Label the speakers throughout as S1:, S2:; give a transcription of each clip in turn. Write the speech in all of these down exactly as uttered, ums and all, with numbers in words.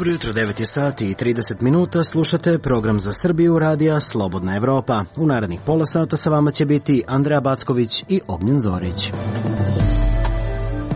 S1: Dobro jutro, devet je sati i trideset minuta, slušate program za Srbiju radija Slobodna Evropa. U narednih pola sata sa vama će biti Andreja Backović i Ognjen Zorić.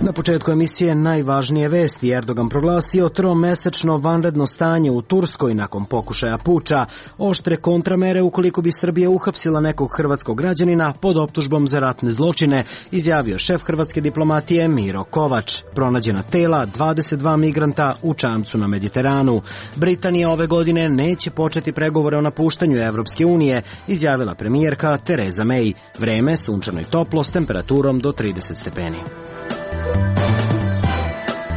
S1: Na početku emisije najvažnije vesti. Erdogan proglasio tromesečno vanredno stanje u Turskoj nakon pokušaja puča, oštre kontramere ukoliko bi Srbija uhapsila nekog hrvatskog građanina pod optužbom za ratne zločine, izjavio šef hrvatske diplomatije Miro Kovač. Pronađena tela dvadeset dva migranta u čamcu na Mediteranu. Britanija ove godine neće početi pregovore o napuštanju Evropske unije, izjavila premijerka Tereza May. Vreme sunčano i toplo s temperaturom do trideset stepeni.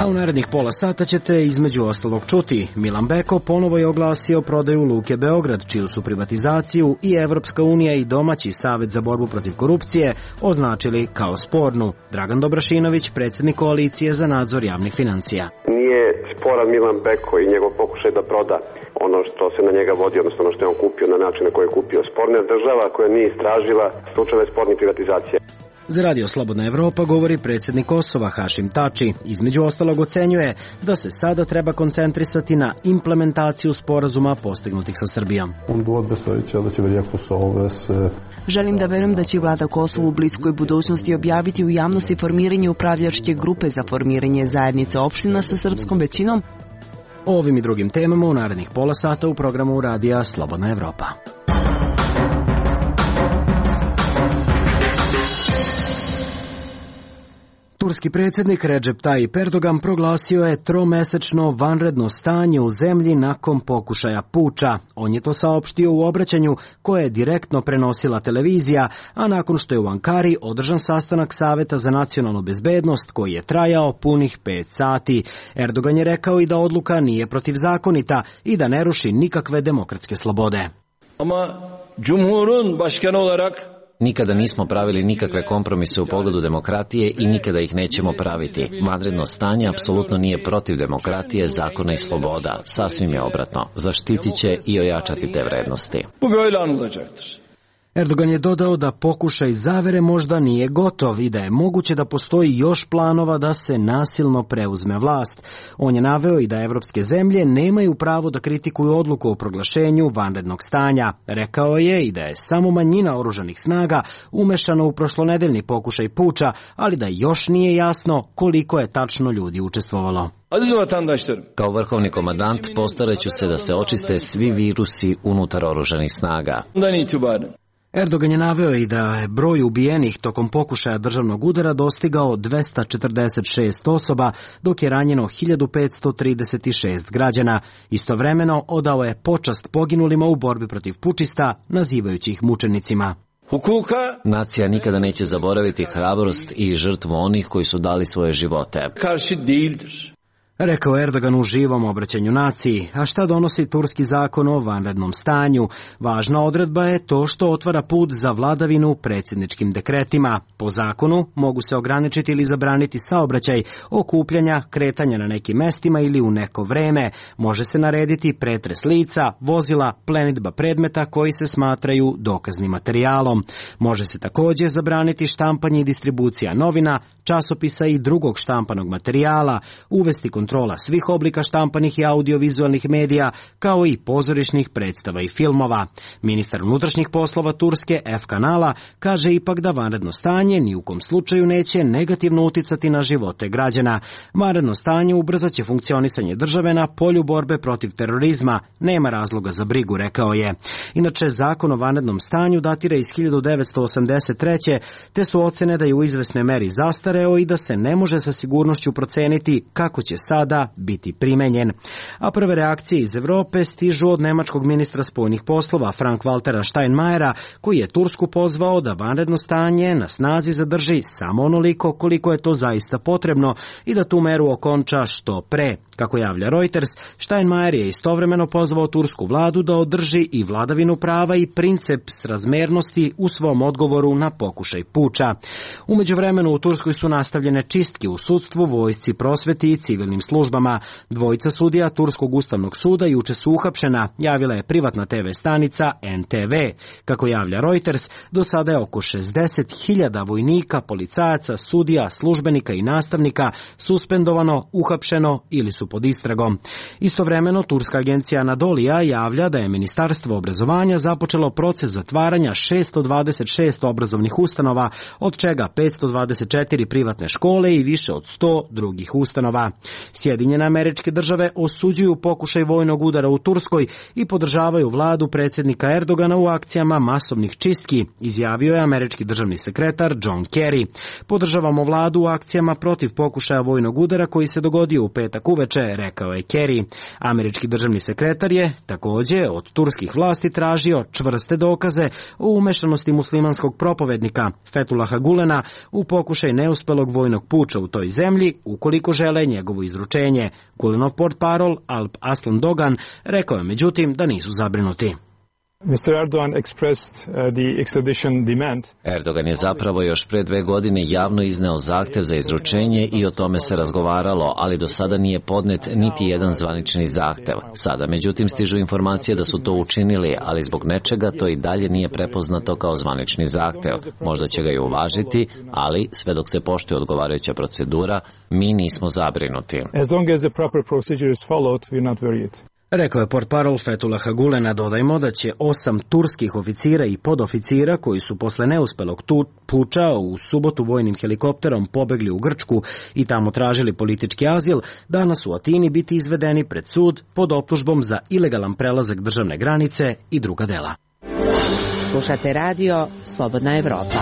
S1: A u narednih pola sata ćete između ostalog čuti. Milan Beko ponovo je oglasio prodaju Luke Beograd, čiju su privatizaciju i Evropska unija i domaći Savet za borbu protiv korupcije označili kao spornu. Dragan Dobrašinović, predsjednik koalicije za nadzor javnih financija.
S2: Nije sporan Milan Beko i njegov pokušaj da proda ono što se na njega vodi, odnosno ono što je on kupio na način na koji je kupio. Sporna je država koja nije istražila slučajeve spornih privatizacija.
S1: Za Radio Slobodna Evropa govori predsjednik Kosova Hašim Tači. Između ostalog ocenjuje da se sada treba koncentrisati na implementaciju sporazuma postignutih sa Srbijom.
S3: Želim da verujem da će vlada Kosova u bliskoj budućnosti objaviti u javnosti formiranje upravljačke grupe za formiranje zajednice opština sa srpskom većinom.
S1: O ovim i drugim temama u narednih pola sata u programu Radija Slobodna Evropa. Turski predsjednik Recep Tayyip Erdogan proglasio je tromesečno vanredno stanje u zemlji nakon pokušaja puča. On je to saopštio u obraćanju koje je direktno prenosila televizija, a nakon što je u Ankari održan sastanak Saveta za nacionalnu bezbednost koji je trajao punih pet sati. Erdogan je rekao i da odluka nije protivzakonita i da ne ruši nikakve demokratske slobode.
S4: Ama Cumhur'un başkanı olarak
S5: nikada nismo pravili nikakve kompromise u pogledu demokratije i nikada ih nećemo praviti. Vanredno stanje apsolutno nije protiv demokratije, zakona i sloboda. Sasvim je obratno. Zaštitit će i ojačati te vrednosti.
S4: Bu böyle anılacaktır.
S1: Erdogan je dodao da pokušaj zavere možda nije gotov i da je moguće da postoji još planova da se nasilno preuzme vlast. On je naveo i da evropske zemlje nemaju pravo da kritikuju odluku o proglašenju vanrednog stanja. Rekao je i da je samo manjina oružanih snaga umešana u prošlonedeljni pokušaj puča, ali da još nije jasno koliko je tačno ljudi učestvovalo.
S5: Kao vrhovni komandant postaraću se da se očiste svi virusi unutar oružanih snaga.
S1: Erdogan je naveo i da je broj ubijenih tokom pokušaja državnog udara dostigao dvesta četrdeset šest osoba, dok je ranjeno hiljadu petsto trideset šest građana. Istovremeno odao je počast poginulima u borbi protiv pučista, nazivajući ih mučenicima.
S5: Hukuka. Nacija nikada neće zaboraviti hrabrost i žrtvu onih koji su dali svoje živote.
S4: Karşı değildir.
S1: Rekao Erdogan u živom obraćanju naciji. A šta donosi turski zakon o vanrednom stanju? Važna odredba je to što otvara put za vladavinu predsjedničkim dekretima. Po zakonu mogu se ograničiti ili zabraniti saobraćaj, okupljanja, kretanja na nekim mestima ili u neko vreme. Može se narediti pretres lica, vozila, plenidba predmeta koji se smatraju dokaznim materijalom. Može se također zabraniti štampanje i distribucija novina, časopisa i drugog štampanog materijala, uvesti kontrola svih oblika štampanih i audiovizualnih medija, kao i pozorišnih predstava i filmova. Ministar unutrašnjih poslova Turske F. Kanala kaže ipak da vanredno stanje ni u kom slučaju neće negativno uticati na živote građana. Vanredno stanje ubrzat će funkcionisanje države na polju borbe protiv terorizma. Nema razloga za brigu, rekao je. Inače, zakon o vanrednom stanju datira iz hiljadu devetsto osamdeset treće. te su ocene da je u izvesnoj meri zastareo i da se ne može sa sigurnošću proceniti kako će sada biti primenjen. A prve reakcije iz Evrope stižu od nemačkog ministra spoljnih poslova Frank-Waltera Steinmeiera, koji je Tursku pozvao da vanredno stanje na snazi zadrži samo onoliko koliko je to zaista potrebno i da tu meru okonča što pre. Kako javlja Reuters, Steinmeier je istovremeno pozvao tursku vladu da održi i vladavinu prava i princip srazmernosti u svom odgovoru na pokušaj puča. U međuvremenu u Turskoj su nastavljene čistke u sudstvu, vojsci, prosveti i civilnim službama. Dvojica sudija Turskog ustavnog suda juče su uhapšena, javila je privatna te ve stanica en te ve. Kako javlja Reuters, do sada je oko šezdeset hiljada vojnika, policajaca, sudija, službenika i nastavnika suspendovano, uhapšeno ili su pod istragom. Istovremeno, turska agencija Anadolija javlja da je Ministarstvo obrazovanja započelo proces zatvaranja šesto dvadeset šest obrazovnih ustanova, od čega petsto dvadeset četiri privatne škole i više od sto drugih ustanova. Sjedinjene Američke Države osuđuju pokušaj vojnog udara u Turskoj i podržavaju vladu predsjednika Erdogana u akcijama masovnih čistki, izjavio je američki državni sekretar John Kerry. Podržavamo vladu u akcijama protiv pokušaja vojnog udara koji se dogodio u petak uveče, rekao je Kerry. Američki državni sekretar je takođe od turskih vlasti tražio čvrste dokaze o umešanosti muslimanskog propovednika Fethullaha Gulena u pokušaj neuspelog vojnog puča u toj zemlji, ukoliko žele njegovo izručenje. Gulenov portparol Alp Aslan Dogan rekao je međutim da nisu zabrinuti.
S6: mister Erdogan expressed uh, the extradition demand.
S5: Erdogan je zapravo još pre dve godine javno izneo zahtev za izručenje i o tome se razgovaralo, ali do sada nije podnet niti jedan zvanični zahtev. Sada, međutim, stižu informacije da su to učinili, ali zbog nečega to i dalje nije prepoznato kao zvanični zahtev. Možda će ga i uvažiti, ali sve dok se poštuje odgovarajuća procedura, mi nismo zabrinuti.
S6: As long as the proper procedure is followed, we are not worried.
S1: Rekao je portparol Fethullaha Gulena. Dodajmo da će osam turskih oficira i podoficira koji su posle neuspelog puča u subotu vojnim helikopterom pobegli u Grčku i tamo tražili politički azil, danas u Atini biti izvedeni pred sud pod optužbom za ilegalan prelazak državne granice i druga dela.
S7: Slušate radio Slobodna Evropa.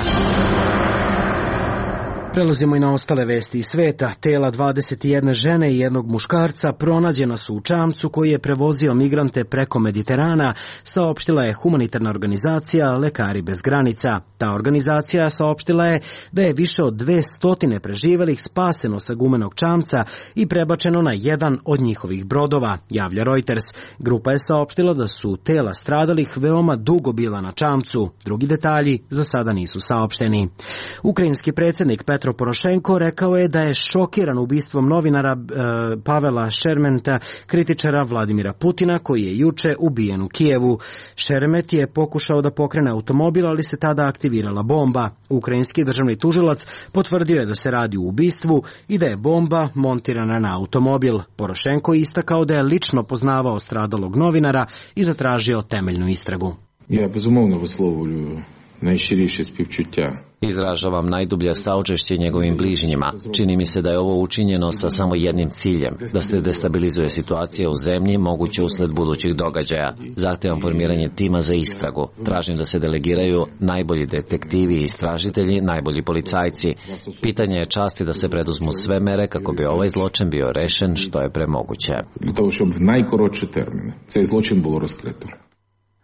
S1: Prelazimo i na ostale vesti iz sveta. Tela dvadeset jedne žene i jednog muškarca pronađena su u čamcu koji je prevozio migrante preko Mediterana, saopštila je humanitarna organizacija Lekari bez granica. Ta organizacija saopštila je da je više od dve stotine preživelih spaseno sa gumenog čamca i prebačeno na jedan od njihovih brodova, javlja Reuters. Grupa je saopštila da su tela stradalih veoma dugo bila na čamcu. Drugi detalji za sada nisu saopšteni. Ukrajinski predsjednik Petro Porošenko rekao je da je šokiran ubistvom novinara e, Pavela Šermeta, kritičara Vladimira Putina, koji je juče ubijen u Kijevu. Šeremet je pokušao da pokrene automobil, ali se tada aktivirala bomba. Ukrajinski državni tužilac potvrdio je da se radi o ubistvu i da je bomba montirana na automobil. Porošenko je istakao da je lično poznavao stradalog novinara i zatražio temeljnu istragu.
S8: Ja bezumовно висловлюю najširіше співчуття.
S5: Izražavam najdublje saučešće njegovim bližnjima. Čini mi se da je ovo učinjeno sa samo jednim ciljem, da se destabilizuje situacija u zemlji, moguće usled budućih događaja. Zahtevam formiranje tima za istragu. Tražim da se delegiraju najbolji detektivi i istražitelji, najbolji policajci. Pitanje je časti da se preduzmu sve mere kako bi ovaj zločin bio rešen što je premoguće.
S8: Для того, щоб в найкоротші терміни цей злочин було розкрито.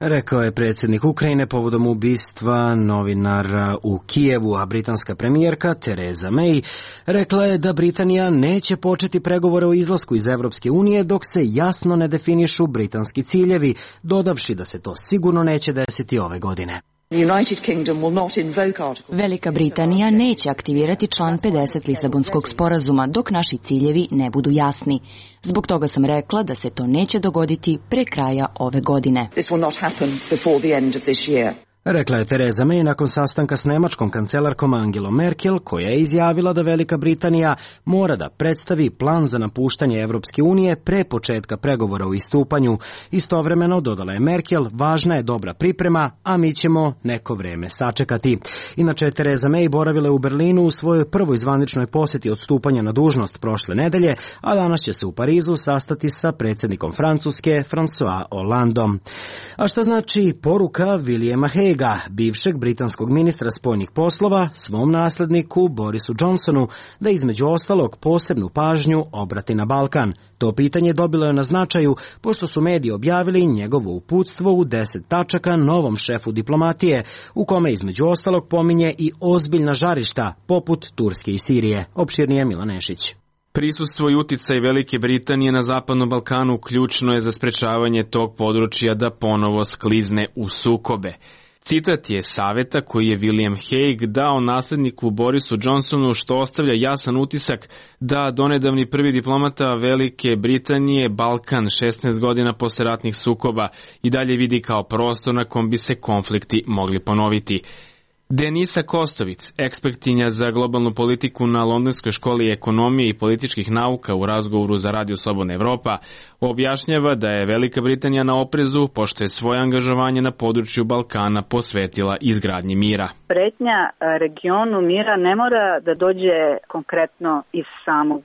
S1: Rekao je predsjednik Ukrajine povodom ubistva novinara u Kijevu, a britanska premijerka Theresa May rekla je da Britanija neće početi pregovore o izlasku iz Evropske unije dok se jasno ne definišu britanski ciljevi, dodavši da se to sigurno neće desiti ove godine.
S9: Velika Britanija neće aktivirati član pedeset Lisabonskog sporazuma dok naši ciljevi ne budu jasni. Zbog toga sam rekla da se to neće dogoditi pre kraja ove godine.
S1: Rekla je Theresa May nakon sastanka s nemačkom kancelarkom Angelom Merkel, koja je izjavila da Velika Britanija mora da predstavi plan za napuštanje Evropske unije pre početka pregovora o istupanju. Istovremeno, dodala je Merkel, važna je dobra priprema, a mi ćemo neko vreme sačekati. Inače, Theresa May boravila je u Berlinu u svojoj prvoj zvaničnoj posjeti od stupanja na dužnost prošle nedelje, a danas će se u Parizu sastati sa predsjednikom Francuske, François Hollandom. A šta znači poruka Williama Haguea, bivšeg britanskog ministra spoljnih poslova, svom nasledniku Borisu Johnsonu da između ostalog posebnu pažnju obrati na Balkan? To pitanje dobilo je na značaju pošto su mediji objavili njegovo uputstvo u deset tačaka novom šefu diplomatije, u kome između ostalog pominje i ozbiljna žarišta poput Turske i Sirije. Opširnije Milan Nešić.
S10: Prisustvo i uticaj Velike Britanije na Zapadnom Balkanu ključno je za sprečavanje tog područja da ponovo sklizne u sukobe. Citat je saveta koji je William Hague dao nasledniku Borisu Johnsonu, što ostavlja jasan utisak da donedavni prvi diplomata Velike Britanije Balkan šesnaest godina posle ratnih sukoba i dalje vidi kao prostor na kom bi se konflikti mogli ponoviti. Denisa Kostovic, ekspertinja za globalnu politiku na Londonskoj školi ekonomije i političkih nauka u razgovoru za Radio Slobodna Evropa, objašnjava da je Velika Britanija na oprezu pošto je svoje angažovanje na području Balkana posvetila izgradnji mira.
S11: Pretnja regionu mira ne mora da dođe konkretno iz samog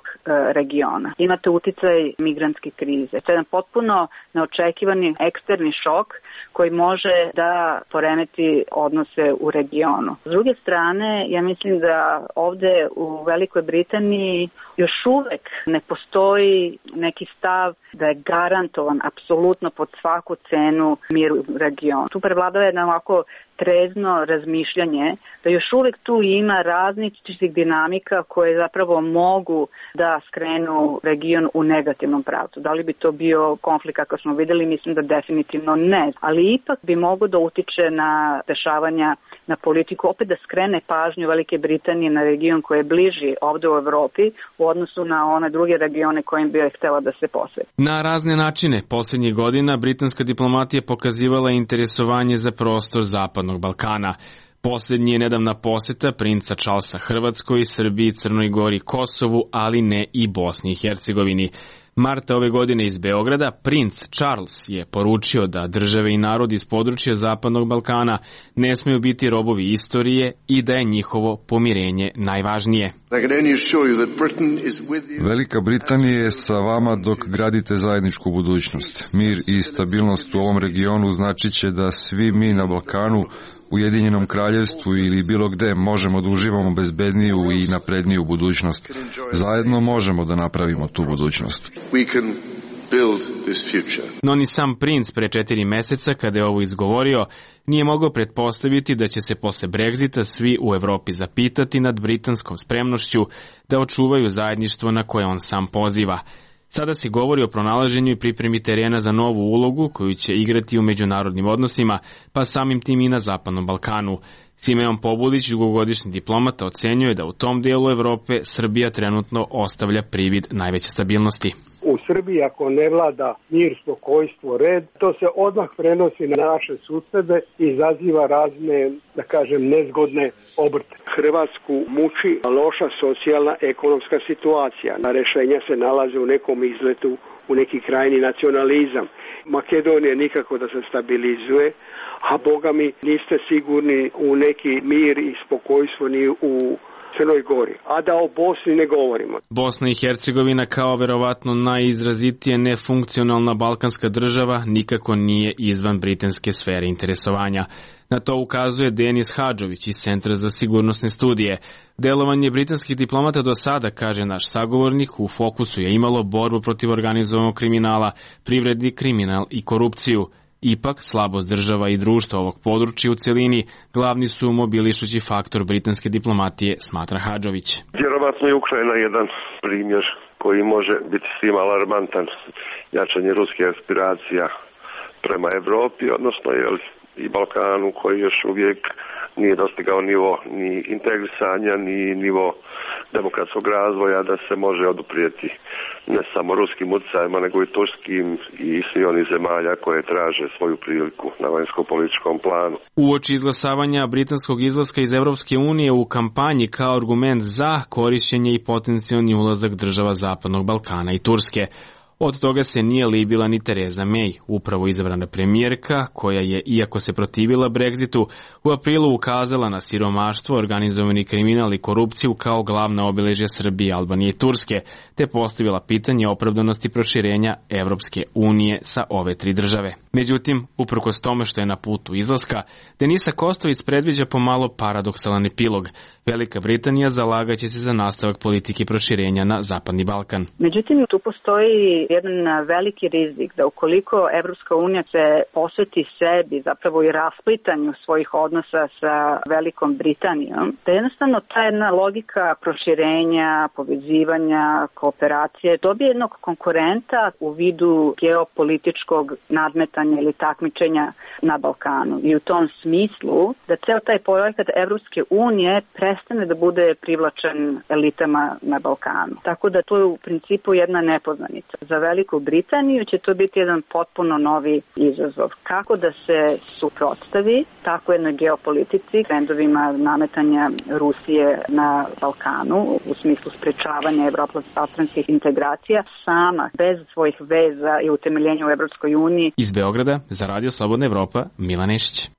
S11: regiona. Imate uticaj migrantske krize. To je jedan potpuno neočekivani eksterni šok koji može da poremeti odnose u regionu. S druge strane, ja mislim da ovde u Velikoj Britaniji još uvek ne postoji neki stav da je garantovan apsolutno pod svaku cenu mir u regionu. Tu prevladava jedna ovako trezno razmišljanje da još uvek tu ima različitih dinamika koje zapravo mogu da skrenu region u negativnom pravcu. Da li bi to bio konflikt kako smo videli, mislim da definitivno ne. Ali ipak bi mogo da utiče na dešavanja na politiku, opet da skrene pažnju Velike Britanije na region koji je bliži ovde u Evropi u odnosu na one druge regione kojim bi je htela da se posveti.
S10: Na razne načine poslednjih godina britanska diplomatija pokazivala interesovanje za prostor Zapadnog Balkana. Poslednji je nedavna poseta princa Charlesa Hrvatskoj, Srbiji, Crnoj Gori, Kosovu, ali ne i Bosni i Hercegovini. Marta ove godine iz Beograda princ Charles je poručio da države i narodi iz područja Zapadnog Balkana ne smeju biti robovi istorije i da je njihovo pomirenje najvažnije.
S12: Velika Britanija je sa vama dok gradite zajedničku budućnost. Mir i stabilnost u ovom regionu značit će da svi mi na Balkanu, Ujedinjenom kraljevstvu ili bilo gde možemo da uživamo bezbedniju i napredniju budućnost. Zajedno možemo da napravimo tu budućnost.
S10: No ni sam princ pre četiri meseca, kada je ovo izgovorio, nije mogao pretpostaviti da će se posle Brexita svi u Evropi zapitati nad britanskom spremnošću da očuvaju zajedništvo na koje on sam poziva. Sada se govori o pronalaženju i pripremi terena za novu ulogu koju će igrati u međunarodnim odnosima, pa samim tim i na Zapadnom Balkanu. Simeon Pobulić, dugogodišnji diplomata, ocenjuje da u tom dijelu Evrope Srbija trenutno ostavlja privid najveće stabilnosti.
S13: U Srbiji ako ne vlada mir, spokojstvo, red, to se odmah prenosi na naše susede i izaziva razne, da kažem, nezgodne obrte. Hrvatsku muči loša socijalna ekonomska situacija. Na rešenja se nalaze u nekom izletu, u neki krajni nacionalizam. Makedonija nikako da se stabilizuje, a boga mi niste sigurni u neki mir i spokojstvo ni u Crnoj Gori, a da o Bosni ne govorimo.
S10: Bosna i Hercegovina kao verovatno najizrazitije nefunkcionalna balkanska država nikako nije izvan britanske sfere interesovanja. Na to ukazuje Denis Hadžović iz Centra za sigurnosne studije. Delovanje britanskih diplomata do sada, kaže naš sagovornik, u fokusu je imalo borbu protiv organizovanog kriminala, privredni kriminal i korupciju. Ipak, slabost država i društva ovog područja u celini glavni su mobilišući faktor britanske diplomatije, smatra Hadžović.
S14: Vjerovatno je Ukrajina jedan primjer koji može biti svima alarmantan, jačanje ruskih aspiracija prema Evropi, odnosno jel, i Balkanu koji još uvijek nije dostigao nivo ni integrisanja, ni nivo demokratskog razvoja da se može oduprijeti ne samo ruskim utjecajima, nego i turskim i svi onih zemalja koje traže svoju priliku na vanjsko-političkom planu.
S10: Uoči izglasavanja britanskog izlaska iz Evropske unije u kampanji kao argument za korišćenje i potencijalni ulazak država Zapadnog Balkana i Turske. Od toga se nije libila ni Tereza May, upravo izabrana premijerka, koja je, iako se protivila Brexitu, u aprilu ukazala na siromaštvo, organizovani kriminal i korupciju kao glavna obeležja Srbije, Albanije i Turske, te postavila pitanje opravdanosti proširenja Evropske unije sa ove tri države. Međutim, uprkos tome što je na putu izlaska, Denisa Kostović predviđa pomalo paradoksalan epilog. Velika Britanija zalagaće se za nastavak politike proširenja na Zapadni Balkan.
S11: Međutim, tu postoji jedan veliki rizik da ukoliko Evropska unija se posveti sebi, zapravo i rasplitanju svojih odnosa sa Velikom Britanijom, da jednostavno ta jedna logika proširenja, povezivanja, kooperacije dobije jednog konkurenta u vidu geopolitičkog nadmetanja ili takmičenja na Balkanu. I u tom smislu da ceo taj projekat Evropske unije prestane da bude privlačen elitama na Balkanu. Tako da to je u principu jedna nepoznanica. Za Veliku Britaniju će to biti jedan potpuno novi izazov. Kako da se suprotstavi tako jednoj geopolitici, trendovima nametanja Rusije na Balkanu u smislu sprečavanja evropsko-balkanskih integracija sama, bez svojih veza i utemeljenja u Evropskoj uniji.
S10: Iz Beograda za Radio Slobodna Evropa, Milan Nešić.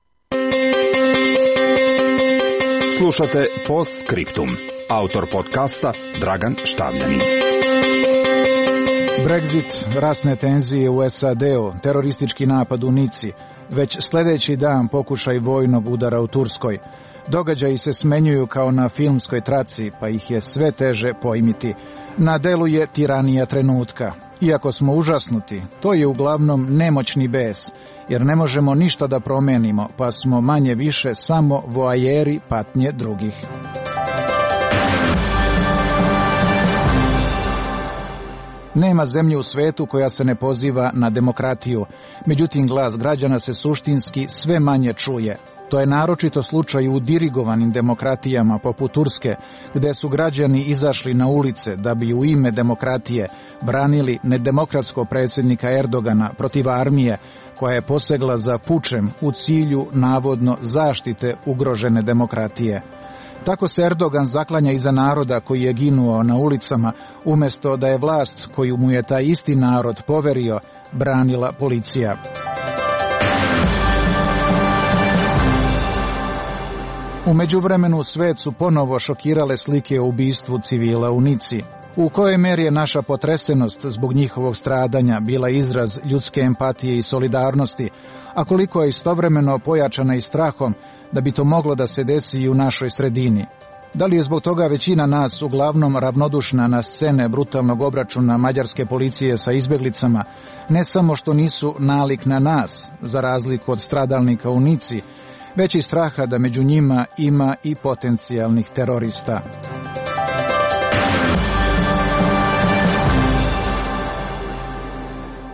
S15: Slušate Postscriptum. Autor podcasta Dragan Štavljanin.
S16: Brexit, rasne tenzije u S A D-u, teroristički napad u Nici, već sljedeći dan pokušaj vojnog udara u Turskoj. Događaji se smenjuju kao na filmskoj traci, pa ih je sve teže pojmiti. Na delu je tiranija trenutka. Iako smo užasnuti, to je uglavnom nemoćni bes, jer ne možemo ništa da promenimo, pa smo manje više samo voajeri patnje drugih. Nema zemlje u svetu koja se ne poziva na demokratiju, međutim glas građana se suštinski sve manje čuje. To je naročito slučaj u dirigovanim demokratijama poput Turske, gde su građani izašli na ulice da bi u ime demokratije branili nedemokratskog predsjednika Erdogana protiv armije koja je posegla za pučem u cilju navodno zaštite ugrožene demokratije. Tako se Erdogan zaklanja iza naroda koji je ginuo na ulicama, umjesto da je vlast koju mu je taj isti narod poverio branila policija. U međuvremenu svet su ponovo šokirale slike o ubistvu civila u Nici. U kojoj meri je naša potresenost zbog njihovog stradanja bila izraz ljudske empatije i solidarnosti, a koliko je istovremeno pojačana i strahom da bi to moglo da se desi i u našoj sredini. Da li je zbog toga većina nas uglavnom ravnodušna na scene brutalnog obračuna mađarske policije sa izbjeglicama, ne samo što nisu nalik na nas, za razliku od stradalnika u Nici, već i straha da među njima ima i potencijalnih terorista.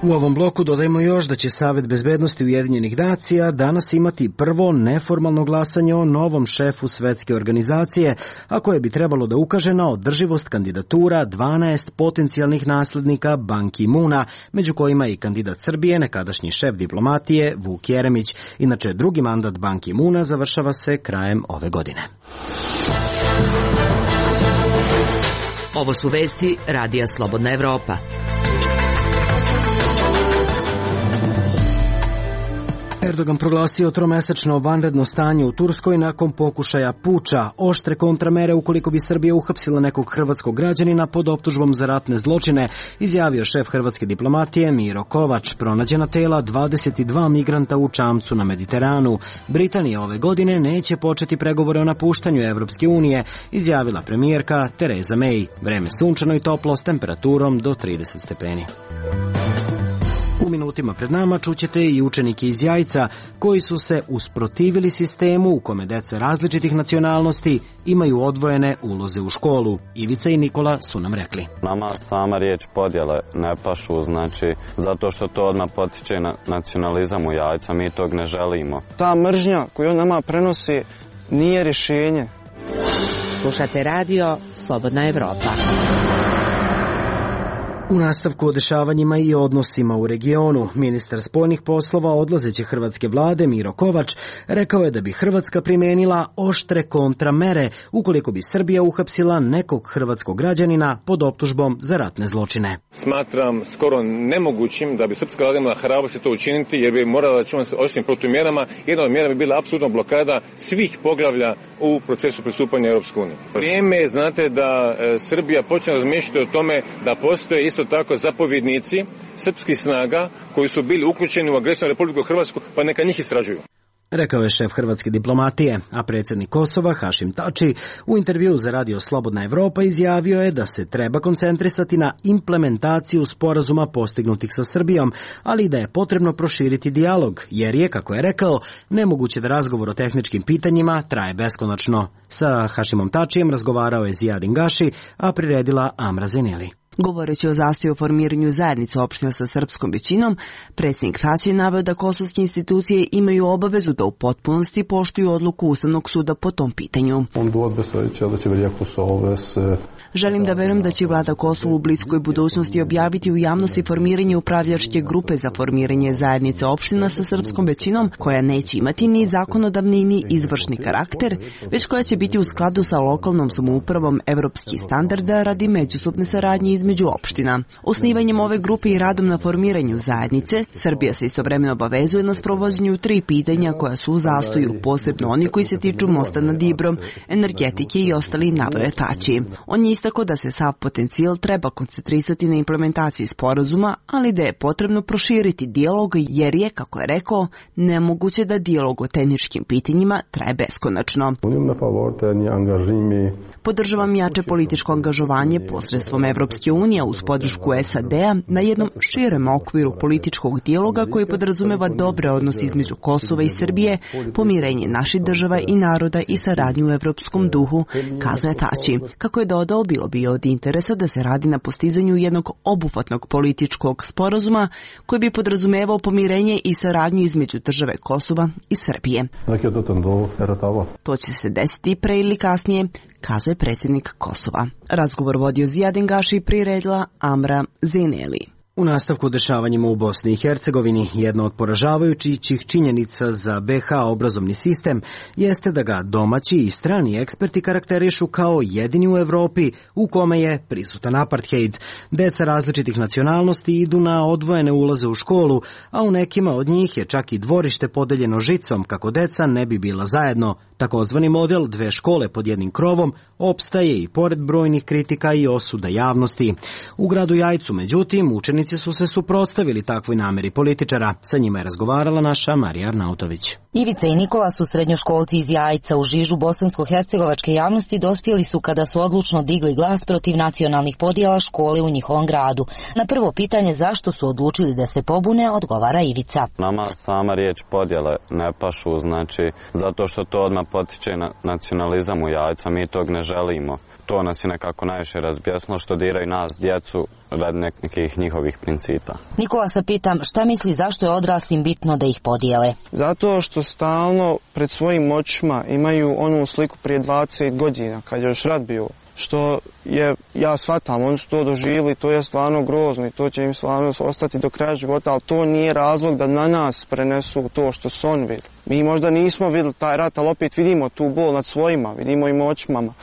S1: U ovom bloku dodajemo još da će Savet bezbednosti Ujedinjenih nacija danas imati prvo neformalno glasanje o novom šefu svetske organizacije, a koje bi trebalo da ukaže na održivost kandidatura dvanaest potencijalnih naslednika Ban Ki-moona, među kojima i kandidat Srbije, nekadašnji šef diplomatije Vuk Jeremić. Inače, drugi mandat Ban Ki-moona završava se krajem ove godine.
S7: Ovo su vesti Radija Slobodna Evropa.
S1: Erdogan proglasio tromesečno vanredno stanje u Turskoj nakon pokušaja puča, oštre kontramere ukoliko bi Srbija uhapsila nekog hrvatskog građanina pod optužbom za ratne zločine, izjavio šef hrvatske diplomatije Miro Kovač. Pronađena tela dvadeset dva migranta u čamcu na Mediteranu. Britanija ove godine neće početi pregovore o napuštanju Evropske unije, izjavila premijerka Tereza May. Vreme sunčano i toplo s temperaturom do trideset stepeni. U minutima pred nama čućete i učenike iz Jajca koji su se usprotivili sistemu u kome deca različitih nacionalnosti imaju odvojene uloze u školu. Ivica i Nikola su nam rekli.
S17: Nama sama riječ podjele ne pašu, znači zato što to odmah potiče na nacionalizam u Jajca, mi tog ne želimo.
S18: Ta mržnja koju nama prenosi nije rješenje.
S7: Slušate radio Slobodna Evropa.
S1: U nastavku o dešavanjima i odnosima u regionu, ministar spoljnih poslova odlazeće hrvatske vlade Miro Kovač rekao je da bi Hrvatska primenila oštre kontramere ukoliko bi Srbija uhapsila nekog hrvatskog građanina pod optužbom za ratne zločine.
S19: Smatram skoro nemogućim da bi srpska vlada imala hrabrosti to učiniti, jer bi morala računati s oštrim protumjerama. Jedna od mjera bi bila apsolutno blokada svih poglavlja u procesu pristupanja Europskoj uniji. Vrijeme je, znate, da e, Srbija počne razmišljati o tome da postoje isto tako zapovjednici srpskih snaga koji su bili uključeni u agresiju na Republiku Hrvatsku, pa neka njih istražuju.
S1: rekao je šef hrvatske diplomatije, a predsjednik Kosova Hašim Tači u intervjuu za radio Slobodna Evropa izjavio je da se treba koncentrisati na implementaciju sporazuma postignutih sa Srbijom, ali i da je potrebno proširiti dijalog, jer je, kako je rekao, nemoguće da razgovor o tehničkim pitanjima traje beskonačno. Sa Hašimom Tačijem razgovarao je Zijadin Gaši, a priredila Amra Zeneli.
S3: Govoreći o zastoju formiranju zajednice opština sa srpskom većinom, predsjednik Tači je naveo da kosovske institucije imaju obavezu da u potpunosti poštuju odluku Ustavnog suda po tom pitanju. Želim da verujem da će vlada Kosova u bliskoj budućnosti objaviti u javnosti formiranje upravljačke grupe za formiranje zajednice opština sa srpskom većinom, koja neće imati ni zakonodavni ni izvršni karakter, već koja će biti u skladu sa lokalnom samoupravom evropskih standarda radi međusobne saradnje između opština. Osnivanjem ove grupe i radom na formiranju zajednice, Srbija se istovremeno obavezuje na sprovođenju tri pitanja koja su u zastoju, posebno oni koji se tiču mosta nad Ibrom, energetike i ostali, naveo Tači. On je istako da se sav potencijal treba koncentrisati na implementaciji sporazuma, ali da je potrebno proširiti dijalog jer je, kako je rekao, nemoguće da dijalog o tehničkim pitanjima traje beskonačno. Podržavam jače političko angažovanje posredstvom Evropske unije uz podršku S A D-a na jednom širem okviru političkog dijaloga koji podrazumeva dobre odnose između Kosova i Srbije, pomirenje naših država i naroda i saradnju u evropskom duhu, kazuje Tači. Kako je dodao, bilo bi od interesa da se radi na postizanju jednog obuhvatnog političkog sporazuma koji bi podrazumevao pomirenje i saradnju između države Kosova i Srbije. To će se desiti pre ili kasnije, kazuje predsjednik Kosova. Razgovor vodio Zijadin Gaši i priredila Amra Zeneli.
S1: U nastavku dešavanjima u Bosni i Hercegovini, jedna od poražavajućih činjenica za B H obrazovni sistem jeste da ga domaći i strani eksperti karakterišu kao jedini u Evropi u kome je prisutan apartheid. Deca različitih nacionalnosti idu na odvojene ulaze u školu, a u nekima od njih je čak i dvorište podeljeno žicom kako deca ne bi bila zajedno. Takozvani model dve škole pod jednim krovom opstaje i pored brojnih kritika i osuda javnosti. U gradu Jajcu, međutim, učenici su se suprotstavili takvoj nameri političara. Sa njima je razgovarala naša Marija Arnautović.
S20: Ivica i Nikola su srednjoškolci iz Jajca. U žižu bosansko-hercegovačke javnosti dospjeli su kada su odlučno digli glas protiv nacionalnih podjela škole u njihovom gradu. Na prvo pitanje zašto su odlučili da se pobune, odgovara Ivica.
S17: Nama sama riječ podjele ne pašu, znači zato što to odmah potiče na nacionalizam u Jajcu, mi tog ne želimo. To nas je nekako najviše razbjesno što diraju nas, djecu, radi nekih njihovih principa.
S20: Nikola se pitam šta misli zašto je odraslim bitno da ih podijele?
S18: Zato što stalno pred svojim očima imaju onu sliku prije dvadeset godina kad je još rat bio. Što je, ja shvatam, oni su to doživjeli, to je stvarno grozno i to će im stvarno ostati do kraja života, ali to nije razlog da na nas prenesu to što su oni vidjeli. Mi možda nismo vidjeli taj rat, ali opet vidimo tu bol nad svojima, vidimo im očima,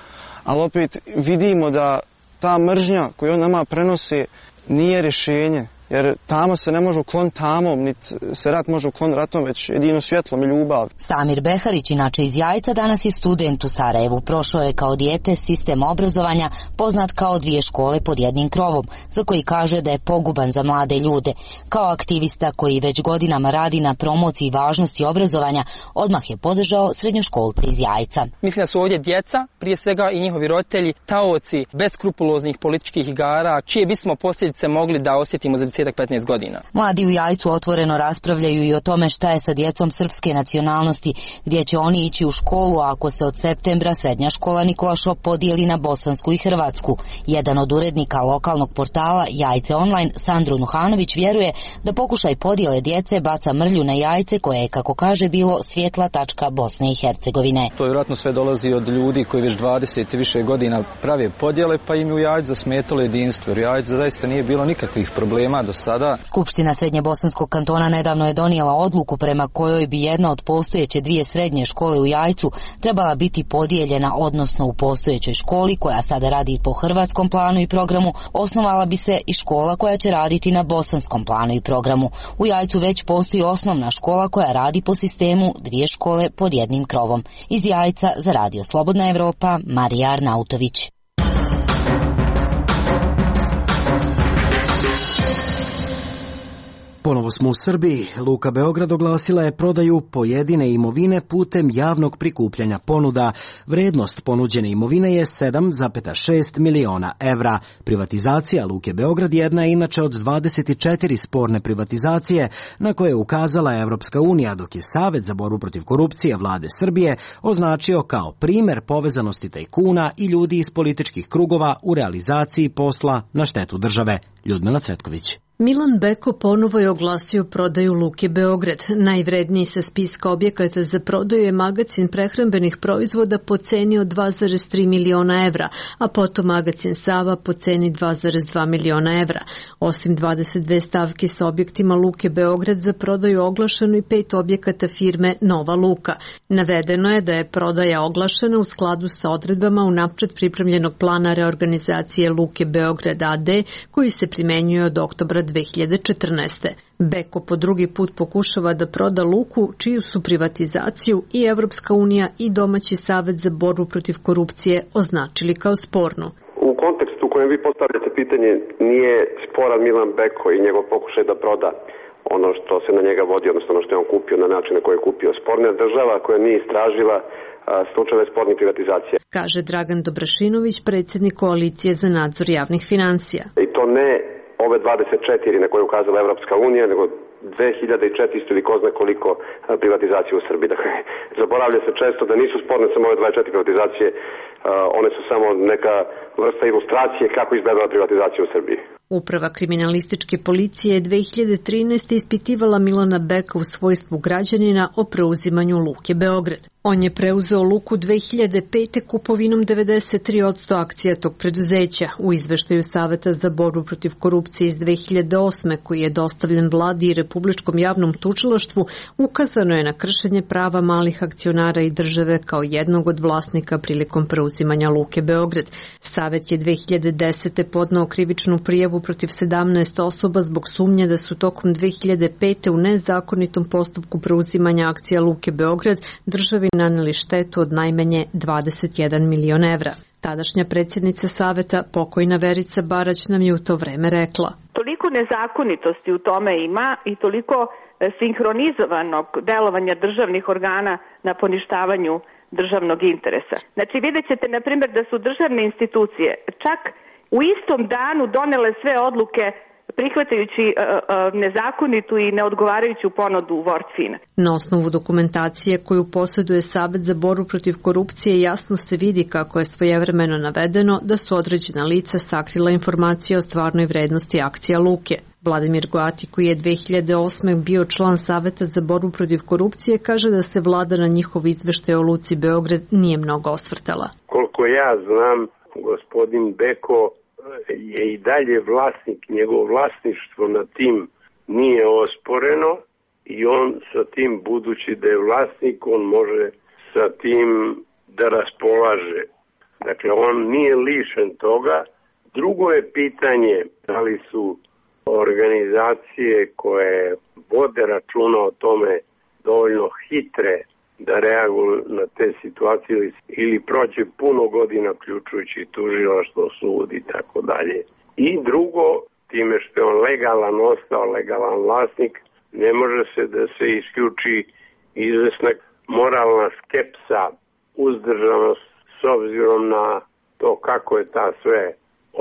S18: ali opet vidimo da ta mržnja koju on nama prenosi nije rješenje. Jer tamo se ne može ukloniti tamom, niti se rat može ukloniti ratom, već jedino svjetlom i ljubav.
S20: Samir Beharić, inače iz Jajca, danas je student u Sarajevu. Prošao je kao dijete sistem obrazovanja poznat kao dvije škole pod jednim krovom, za koji kaže da je poguban za mlade ljude. Kao aktivista koji već godinama radi na promociji važnosti obrazovanja, odmah je podržao srednjoškolce iz Jajca.
S21: Mislim da su ovdje djeca, prije svega i njihovi roditelji, taoci beskrupuloznih političkih igara, čije bismo posljedice mogli da osjetimo za deset do petnaest godina.
S20: Mladi u Jajcu otvoreno raspravljaju i o tome šta je sa djecom srpske nacionalnosti, gdje će oni ići u školu ako se od septembra srednja škola Nikola Šop podijeli na bosansku i hrvatsku. Jedan od urednika lokalnog portala Jajce Online, Sandro Nuhanović, vjeruje da pokušaj podijele djece baca mrlju na Jajce koje je, kako kaže, bilo svjetla tačka Bosne i Hercegovine.
S22: To vjerojatno sve dolazi od ljudi koji već dvadeset i više godina prave podjele, pa im u Jajcu zasmetalo jedinstvo. Jer u Jajcu zaista nije bilo nikakvih problema do sada.
S20: Skupština Srednje bosanskog kantona nedavno je donijela odluku prema kojoj bi jedna od postojeće dvije srednje škole u Jajcu trebala biti podijeljena, odnosno u postojećoj školi koja sada radi po hrvatskom planu i programu, osnovala bi se i škola koja će raditi na bosanskom planu i programu. U Jajcu već postoji osnovna škola koja radi po sistemu dvije škole pod jednim krovom. Iz Jajca za Radio Slobodna Evropa, Marija Arnautović.
S1: Ponovo smo u Srbiji. Luka Beograd oglasila je prodaju pojedine imovine putem javnog prikupljanja ponuda. Vrednost ponuđene imovine je sedam zarez šest miliona evra. Privatizacija Luke Beograd jedna je inače od dvadeset četiri sporne privatizacije na koje je ukazala Evropska unija, dok je Savet za borbu protiv korupcije vlade Srbije označio kao primer povezanosti tajkuna i ljudi iz političkih krugova u realizaciji posla na štetu države. Ljudmila Cvetković.
S2: Milan Beko ponovo je oglasio prodaju Luke Beograd. Najvredniji sa spiska objekata za prodaju je magacin prehrambenih proizvoda po ceni od dva zarez tri miliona evra, a potom magacin Sava po ceni dva zarez dva miliona evra. Osim dvadeset dve stavke sa objektima Luke Beograd za prodaju oglašeno i pet objekata firme Nova Luka. Navedeno je da je prodaja oglašena u skladu sa odredbama unapred pripremljenog plana reorganizacije Luke Beograd a d koji se primenjuje od oktobra dve hiljade četrnaeste. Beko po drugi put pokušava da proda Luku, čiju su privatizaciju i Evropska unija i domaći Savet za borbu protiv korupcije označili kao spornu.
S4: U kontekstu u kojem vi postavljate pitanje nije sporan Milan Beko i njegov pokušaj da proda ono što se na njega vodi, odnosno ono što je on kupio na način na koji je kupio. Sporna država koja nije istražila slučajeve spornih privatizacija.
S2: Kaže Dragan Dobrašinović, predsjednik Koalicije za nadzor javnih finansija.
S4: I to ne ove dvadeset četiri na koje je ukazala Evropska unija, nego dve hiljade četiristo ili ko zna koliko privatizacije u Srbiji. Dakle, zaboravlja se često da nisu sporne samo ove dvadeset četiri privatizacije, one su samo neka vrsta ilustracije kako izgledala privatizacija u Srbiji.
S2: Uprava kriminalističke policije je dve hiljade trinaeste. ispitivala Milana Beka u svojstvu građanina o preuzimanju Luke Beograd. On je preuzeo Luku dve hiljade pete. kupovinom devedeset tri posto akcija tog preduzeća. U izveštaju Saveta za borbu protiv korupcije iz dve hiljade osme. koji je dostavljen vladi i Republičkom javnom tužilaštvu, ukazano je na kršenje prava malih akcionara i države kao jednog od vlasnika prilikom preuzimanja Luke Beograd. Savet je dve hiljade desete. podneo krivičnu prijavu protiv sedamnaest osoba zbog sumnje da su tokom dve hiljade pete. u nezakonitom postupku preuzimanja akcija Luke Beograd državi naneli štetu od najmanje dvadeset jedan milion evra. Tadašnja predsjednica Saveta, pokojna Verica Barać, nam je u to vreme rekla.
S23: Toliko nezakonitosti u tome ima i toliko sinhronizovanog delovanja državnih organa na poništavanju državnog interesa. Znači vidjet ćete, na primjer, da su državne institucije čak u istom danu donele sve odluke prihvatajući uh, uh, nezakonitu i neodgovarajuću ponudu Wortfina.
S2: Na osnovu dokumentacije koju posjeduje Savet za borbu protiv korupcije jasno se vidi kako je svojevremeno navedeno da su određena lica sakrila informacije o stvarnoj vrednosti akcija Luke. Vladimir Goati, koji je dve hiljade osme. bio član Saveta za borbu protiv korupcije, kaže da se vlada na njihov izveštaj o Luci Beograd nije mnogo osvrtala.
S24: Koliko ja znam, gospodin Beko je i dalje vlasnik, njegovo vlasništvo na tim nije osporeno i on sa tim, budući da je vlasnik, on može sa tim da raspolaže. Dakle, on nije lišen toga. Drugo je pitanje da li su organizacije koje vode računa o tome dovoljno hitre da reaguju na te situacije ili prođe puno godina, uključujući tužilaštvo, sud i tako dalje. I drugo, time što je on legalan ostao, legalan vlasnik, ne može se da se isključi izvesna moralna skepsa, uzdržanost s obzirom na to kako je ta sve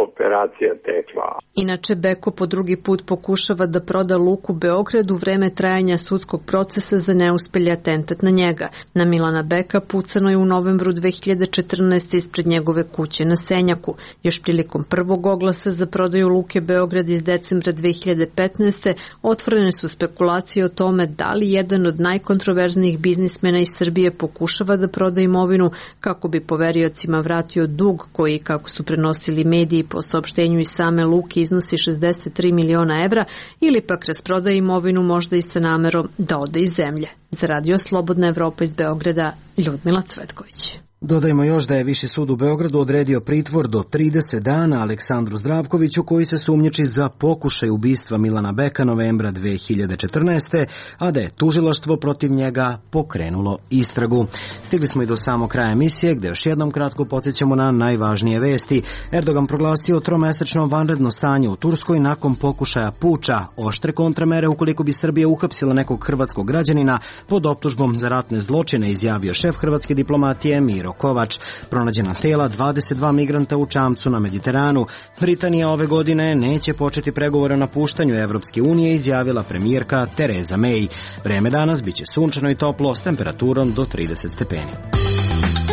S24: operacija tekla.
S2: Inače, Beko po drugi put pokušava da proda Luku Beograd u vreme trajanja sudskog procesa za neuspelji atentat na njega. Na Milana Beka pucano je u novembru dve hiljade četrnaeste. ispred njegove kuće na Senjaku. Još prilikom prvog oglasa za prodaju Luke Beograd iz decembra dve hiljade petnaeste. otvorene su spekulacije o tome da li jedan od najkontroverznijih biznismena iz Srbije pokušava da proda imovinu kako bi poveriocima vratio dug koji, kako su prenosili mediji po saopštenju iz same Luke, iznosi šezdeset tri miliona evra, ili pak rasprodaje imovinu možda i sa namerom da ode iz zemlje. Za Radio Slobodna Evropa iz Beograda, Ljudmila Cvetković.
S1: Dodajmo još da je Viši sud u Beogradu odredio pritvor do trideset dana Aleksandru Zdravkoviću, koji se sumnjiči za pokušaj ubistva Milana Beka novembra dve hiljade četrnaeste. a da je tužilaštvo protiv njega pokrenulo istragu. Stigli smo i do samog kraja emisije, gde još jednom kratko podsjećamo na najvažnije vesti. Erdogan proglasio tromesečno vanredno stanje u Turskoj nakon pokušaja puča, oštre kontramere ukoliko bi Srbija uhapsila nekog hrvatskog građanina pod optužbom za ratne zločine, izjavio šef hrvatske diplomatije Miro Kovač. Pronađena tela dvadeset dva migranta u čamcu na Mediteranu. Britanija ove godine neće početi pregovore o napuštanju Evropske unije, izjavila premijerka Tereza May. Vreme danas biće sunčano i toplo s temperaturom do trideset stepeni.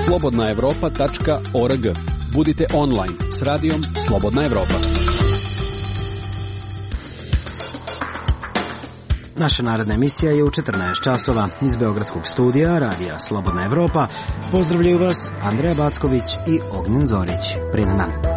S5: slobodna evropa tačka org. Budite online s radijom Slobodna Evropa.
S1: Naša naredna emisija je u četrnaest časova. Iz beogradskog studija radija Slobodna Evropa pozdravljaju vas Andreja Backović i Ognjen Zorić. Prijedan dan.